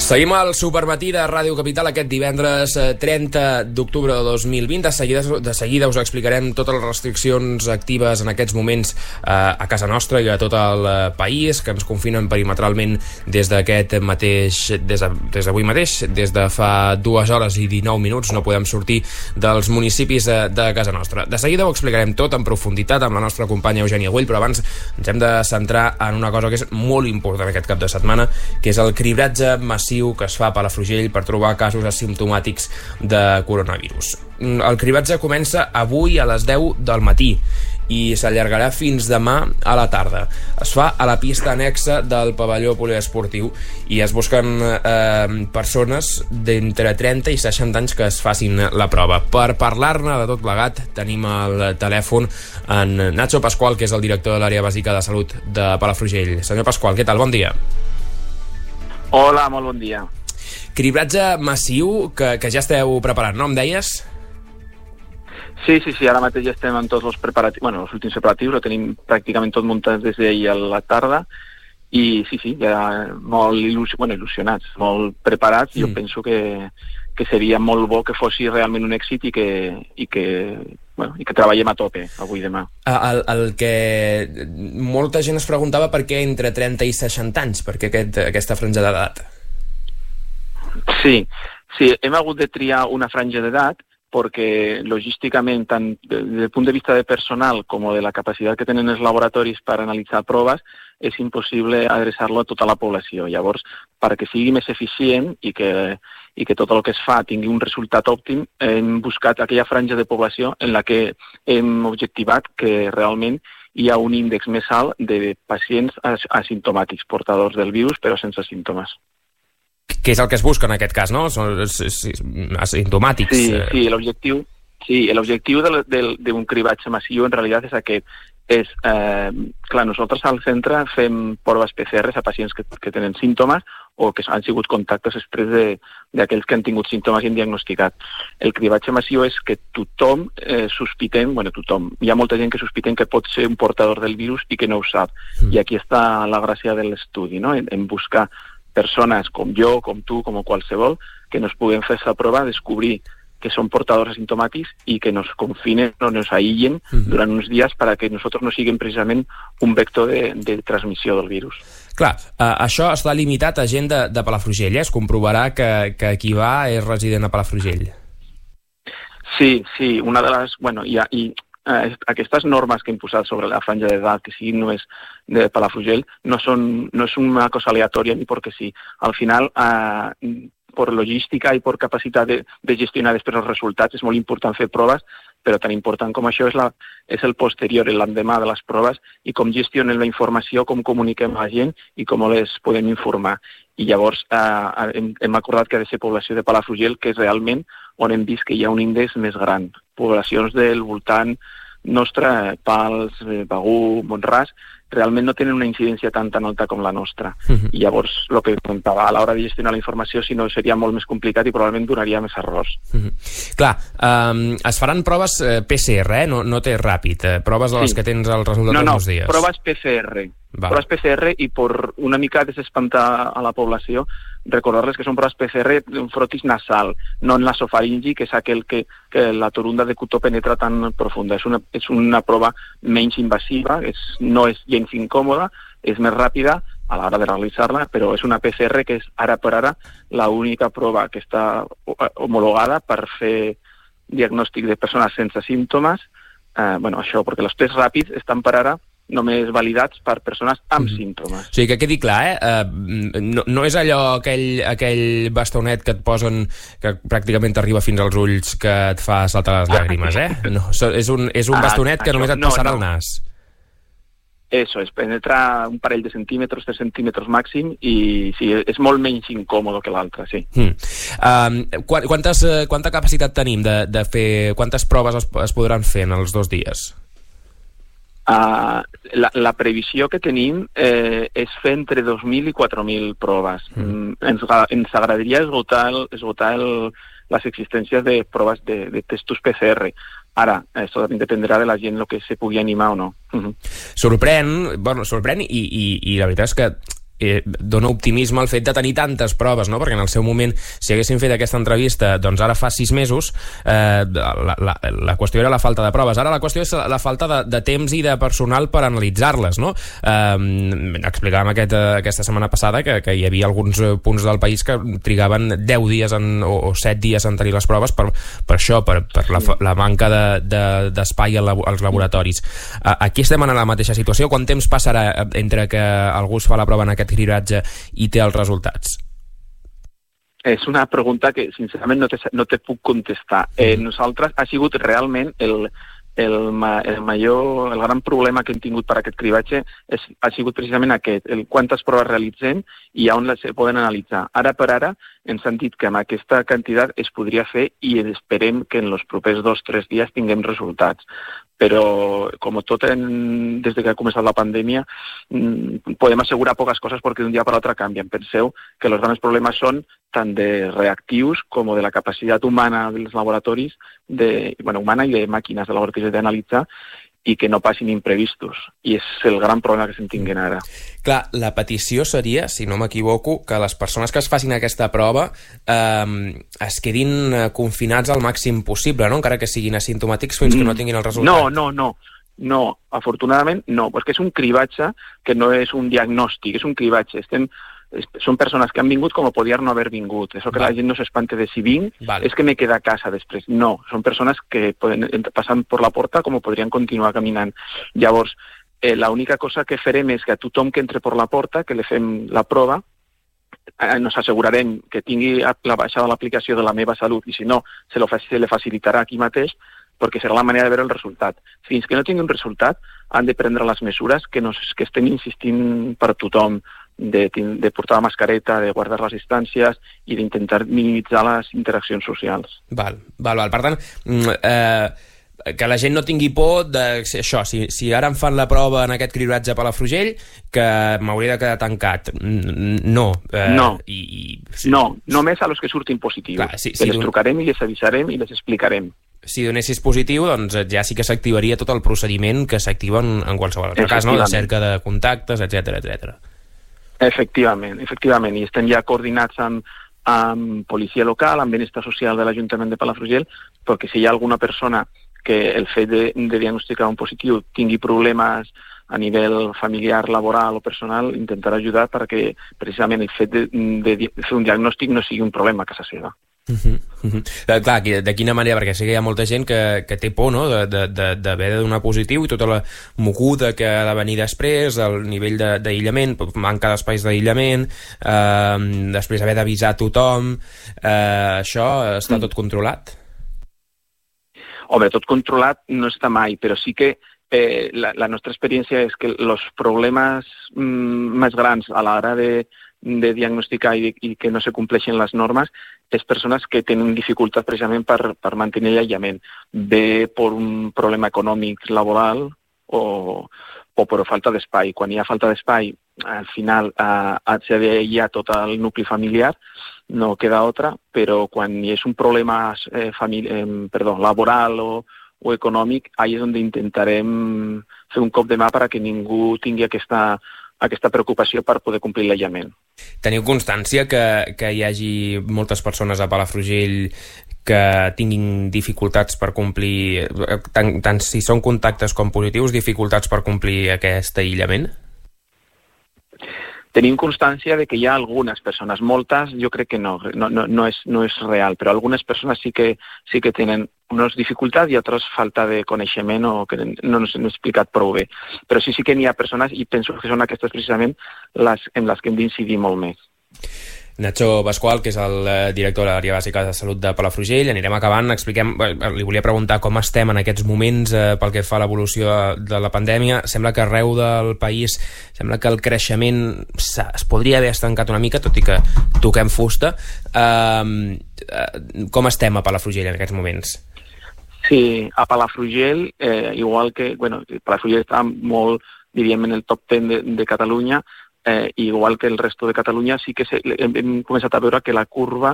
Seguim al Supermatí de Ràdio Capital aquest divendres 30 d'octubre de 2020. De seguida us explicarem totes les restriccions actives en aquests moments a casa nostra i a tot el país, que ens confinen perimetralment des d'avui mateix, des de fa 2 hores i 19 minuts. No podem sortir dels municipis de casa nostra. De seguida ho explicarem tot en profunditat amb la nostra companya Eugènia Güell, però abans ens hem de centrar en una cosa que és molt important aquest cap de setmana, que és el cribratge massiu que es fa a Palafrugell per trobar casos asimptomàtics de coronavirus. El cribratge comença avui a les 10 del matí i s'allargarà fins demà a la tarda. Es fa a la pista annexa del pavelló poliesportiu i es busquen persones d'entre 30 i 60 anys que es facin la prova. Per parlar-ne de tot plegat tenim al telèfon en Nacho Pascual, que és el director de l'àrea bàsica de salut de Palafrugell. Senyor Pascual, què tal? Bon dia. Hola, molt bon dia. Cribratge massiu que ja esteu preparant, no? Em deies? Sí, ara mateix ja estem en tots els preparatius, els últims preparatius, ho tenim pràcticament tot muntat des d'ahir a la tarda i sí, ja molt il·lusionats, molt preparats. Jo penso que seria molt bo que fos realment un èxit i que treballem a tope avui i demà. El que molta gent es preguntava per què entre 30 i 60 anys, per què aquesta franja d'edat? Sí, hem hagut de triar una franja d'edat perquè logísticament, tant des del punt de vista de personal com de la capacitat que tenen els laboratoris per analitzar proves, és impossible adreçar-lo a tota la població. Llavors, perquè sigui més eficient i que tot el que es fa tingui un resultat òptim, hem buscat aquella franja de població en la que hem objectivat que realment hi ha un índex més alt de pacients asimptomàtics, portadors del virus però sense símptomes. Què és el que es busca en aquest cas, no? Són asimptomàtics. Sí, l'objectiu d'un cribatge massiu en realitat és aquest. Nosaltres al centre fem proves PCR a pacients que tenen símptomes o que han sigut contactes després d'aquells que han tingut símptomes i han diagnosticat. El cribatge massiu és que tothom sospitem, hi ha molta gent que sospitem que pot ser un portador del virus i que no ho sap. I aquí està la gràcia de l'estudi, no? En buscar persones com jo, com tu, com qualsevol, que nos puguem fer aquesta prova, descobrir que són portadors asimptomàtics i que nos confinen o nos aïllen durant uns dies perquè nosaltres no siguem precisament un vector de transmissió del virus. Clar, això està limitat a gent de Palafrugell, es comprovarà que qui va és resident a Palafrugell. Sí, una de les... aquestes normes que hem posat sobre la franja d'edat, que siguin només de Palafrugell, no és una cosa aleatòria ni perquè sí. Al final, per logística i per capacitat de gestionar després els resultats, és molt important fer proves, però tan important com això és el posterior, l'endemà de les proves, i com gestionem la informació, com comuniquem a la gent i com les podem informar. I llavors hem acordat que ha de ser població de Palafrugell, que és realment on hem vist que hi ha un índex més gran. Poblacions del voltant nostre, Pals, Begur, Mont-ras, realment no tenen una incidència tan alta com la nostra. I llavors, el que comentava, a l'hora de gestionar la informació, si no, seria molt més complicat i probablement donaria més errors. Clar, es faran proves PCR, no té ràpid, proves de les que tens el resultat en uns dies. No, proves PCR. Proves PCR i per una mica desespantar a la població, recordar-les que són proves PCR d'un frotis nasal, no en l'asofaringi, que és aquell que la torunda de cotó penetra tan profunda. És una prova menys invasiva, no és gens incòmoda, és més ràpida a l'hora de realitzar-la, però és una PCR que és ara per ara l'única prova que està homologada per fer diagnòstic de persones sense símptomes. Això, perquè els tests ràpids estan per ara només validats per persones amb símptomes. O sigui, que quedi clar, no és allò, aquell bastonet que et posen, que pràcticament t'arriba fins als ulls, que et fa saltar les llàgrimes, No, és un bastonet que només et passarà al nas. Eso, es penetra un parell de centímetres, 3 centímetres màxim, i sí, és molt menys incòmode que l'altre, sí. Quanta capacitat tenim de fer, quantes proves es podran fer en els 2 dies? La previsió que tenim és fer entre 2.000 i 4.000 proves. Ens agradaria esgotar les existències de proves de testos PCR. Ara, això dependrà de la gent el que se pugui animar o no. Sorprèn i la veritat és que dona optimisme el fet de tenir tantes proves, no? Perquè en el seu moment, si haguessin fet aquesta entrevista, doncs ara fa 6 mesos, la qüestió era la falta de proves. Ara la qüestió és la falta de temps i de personal per analitzar-les, no? Explicàvem aquesta setmana passada que hi havia alguns punts del país que trigaven 10 dies o 7 dies en tenir les proves per això, per la manca d'espai als laboratoris. Aquí estem en la mateixa situació. Quant temps passarà entre que algú es fa la prova en aquest cribratge i té els resultats? És una pregunta que, sincerament, no te puc contestar. Nosaltres ha sigut realment el gran problema que hem tingut per aquest cribatge ha sigut precisament aquest, quantes proves realitzem i on les poden analitzar. Ara per ara ens han dit que amb aquesta quantitat es podria fer i esperem que en els propers 2 o 3 dies tinguem resultats. Però, com tot, des que ha començat la pandèmia, podem assegurar poques coses perquè d'un dia per l'altre canvien. Penseu que els grans problemes són tant de reactius com de la capacitat humana dels laboratoris, humana i de màquines de laboratoris d'analitzar, i que no passin imprevistos. I és el gran problema que se'n tinguen ara. Clar, la petició seria, si no m'equivoco, que les persones que es facin aquesta prova es quedin confinats al màxim possible, no? Encara que siguin asimptomàtics fins que no tinguin el resultat. No, afortunadament no, perquè és un cribatge que no és un diagnòstic, és un cribatge. Són persones que han vingut com podien no haver vingut. Això que la gent no s'espante de si vinc, és que me queda a casa després. No, són persones que passen per la porta com podrien continuar caminant. Llavors, l'única cosa que farem és que a tothom que entre per la porta, que li fem la prova, nos assegurarem que tingui la baixada l'aplicació de la meva salut i si no, se li facilitarà aquí mateix, perquè serà la manera de veure el resultat. Fins que no tingui un resultat, han de prendre les mesures que estem insistint per tothom, de portar la mascareta, de guardar les distàncies i d'intentar minimitzar les interaccions socials. Val. Per tant, que la gent no tingui por d'això, si ara em fan la prova en aquest cribratge a Palafrugell, que m'hauria de quedar tancat. No. No, només a los que surtin positius. Clar, que les trucarem i les avisarem i les explicarem. Si donessis positiu, doncs ja sí que s'activaria tot el procediment que s'activa en qualsevol altre cas, no? De cerca de contactes, etc. Efectivament, i estem ja coordinats amb policia local, amb benestar social de l'Ajuntament de Palafrugell, perquè si hi ha alguna persona que el fet de diagnosticar un positiu tingui problemes a nivell familiar, laboral o personal, intentar ajudar perquè precisament el fet de fer un diagnòstic no sigui un problema a casa seva. Clar, de quina manera, perquè sé que hi ha molta gent que té por, no?, d'haver de donar positiu i tota la moguda que ha de venir després, el nivell d'aïllament, manca d'espais d'aïllament, després haver d'avisar a tothom. Això està tot controlat? Home, tot controlat no està mai, però sí que la nostra experiència és que els problemes més grans a l'hora de diagnosticar i que no se compleixen les normes és persones que tenen dificultat precisament per mantenir l'aïllament, bé per un problema econòmic laboral o per falta d'espai. Quan hi ha falta d'espai, al final s'ha d'aïllar tot el nucli familiar, no queda altra, però quan hi és un problema laboral o econòmic, ahí és on intentarem fer un cop de mà perquè ningú tingui aquesta preocupació per poder complir l'aïllament. Teniu constància que hi hagi moltes persones a Palafrugell que tinguin dificultats per complir, tant si són contactes com positius, dificultats per complir aquest aïllament? Tenim constància de que hi ha algunes persones, moltes jo crec que no és real, però algunes persones sí que tenen unes dificultats i altres falta de coneixement o que no ens han explicat prou bé. Però sí que n'hi ha persones i penso que són aquestes precisament en les que hem d'incidir molt més. Nacho Pascual, que és el director de l'àrea bàsica de salut de Palafrugell. Anirem acabant, li volia preguntar com estem en aquests moments pel que fa a l'evolució de la pandèmia. Sembla que arreu del país, sembla que el creixement es podria haver estancat una mica, tot i que toquem fusta. Com estem a Palafrugell en aquests moments? Sí, a Palafrugell, igual que, Palafrugell està molt, diríem, en el top 10 de Catalunya, igual que el resto de Catalunya, sí que hem començat a veure que la curva,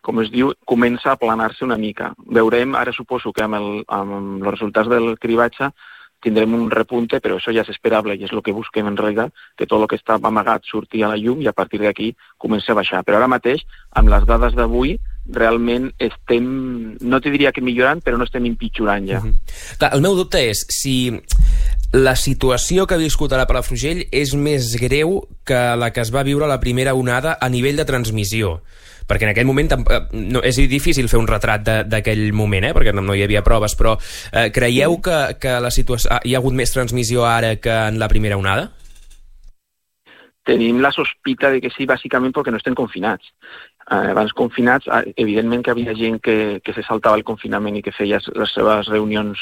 com es diu, comença a aplanar-se una mica. Veurem, ara suposo que amb els resultats del cribatge, tindrem un repunte, però això ja és esperable i és el que busquem en realitat, que tot el que estava amagat surti a la llum i a partir d'aquí comenci a baixar. Però ara mateix, amb les dades d'avui, realment estem, no te diria que millorant, però no estem empitjorant ja. Clar, el meu dubte és si la situació que ha viscut ara Palafrugell és més greu que la que es va viure a la primera onada a nivell de transmissió. Perquè en aquell moment no, és difícil fer un retrat d'aquell moment, perquè no hi havia proves, però creieu que la situació, hi ha hagut més transmissió ara que en la primera onada? Tenim la sospita de que sí, bàsicament perquè no estem confinats. Abans confinats, evidentment que havia gent que se saltava el confinament i que feia les seves reunions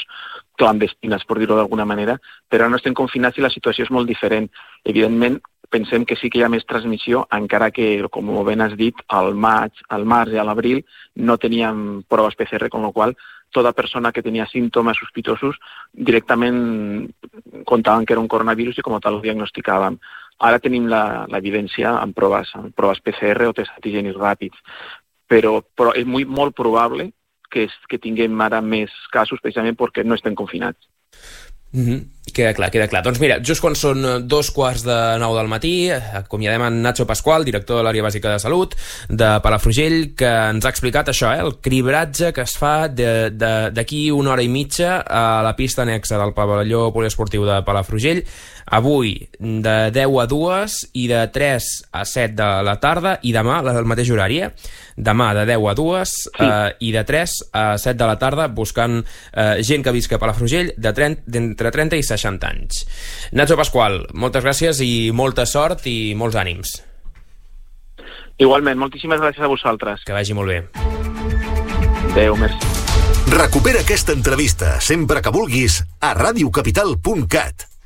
clandestines, per dir-ho d'alguna manera, però ara no estem confinats i la situació és molt diferent. Evidentment, pensem que sí que hi ha més transmissió, encara que, com ben has dit, al març i a l'abril no teníem proves PCR, amb la qual tota persona que tenia símptomes sospitosos directament comptaven que era un coronavirus i com a tal ho diagnosticàvem. Ara tenim l'evidència en proves PCR o tests antigènics ràpids, però és molt probable que tinguem ara més casos precisament perquè no estem confinats. Queda clar. Doncs mira, just quan són 2:15 del matí, acomiadem en Nacho Pascual, director de l'Àrea Bàsica de Salut de Palafrugell, que ens ha explicat això, el cribratge que es fa d'aquí una hora i mitja a la pista anexa del pavelló poliesportiu de Palafrugell, avui de 10 a 2 i de 3 a 7 de la tarda, i demà el mateix horari, demà de 10 a 2 i de 3 a 7 de la tarda, buscant gent que visca a Palafrugell d'entre 30 i 60 anys. Nacho Pascual, moltes gràcies i molta sort i molts ànims. Igualment, moltíssimes gràcies a vosaltres. Que vagi molt bé. Adéu, merci. Recupera aquesta entrevista sempre que vulguis a radiocapital.cat.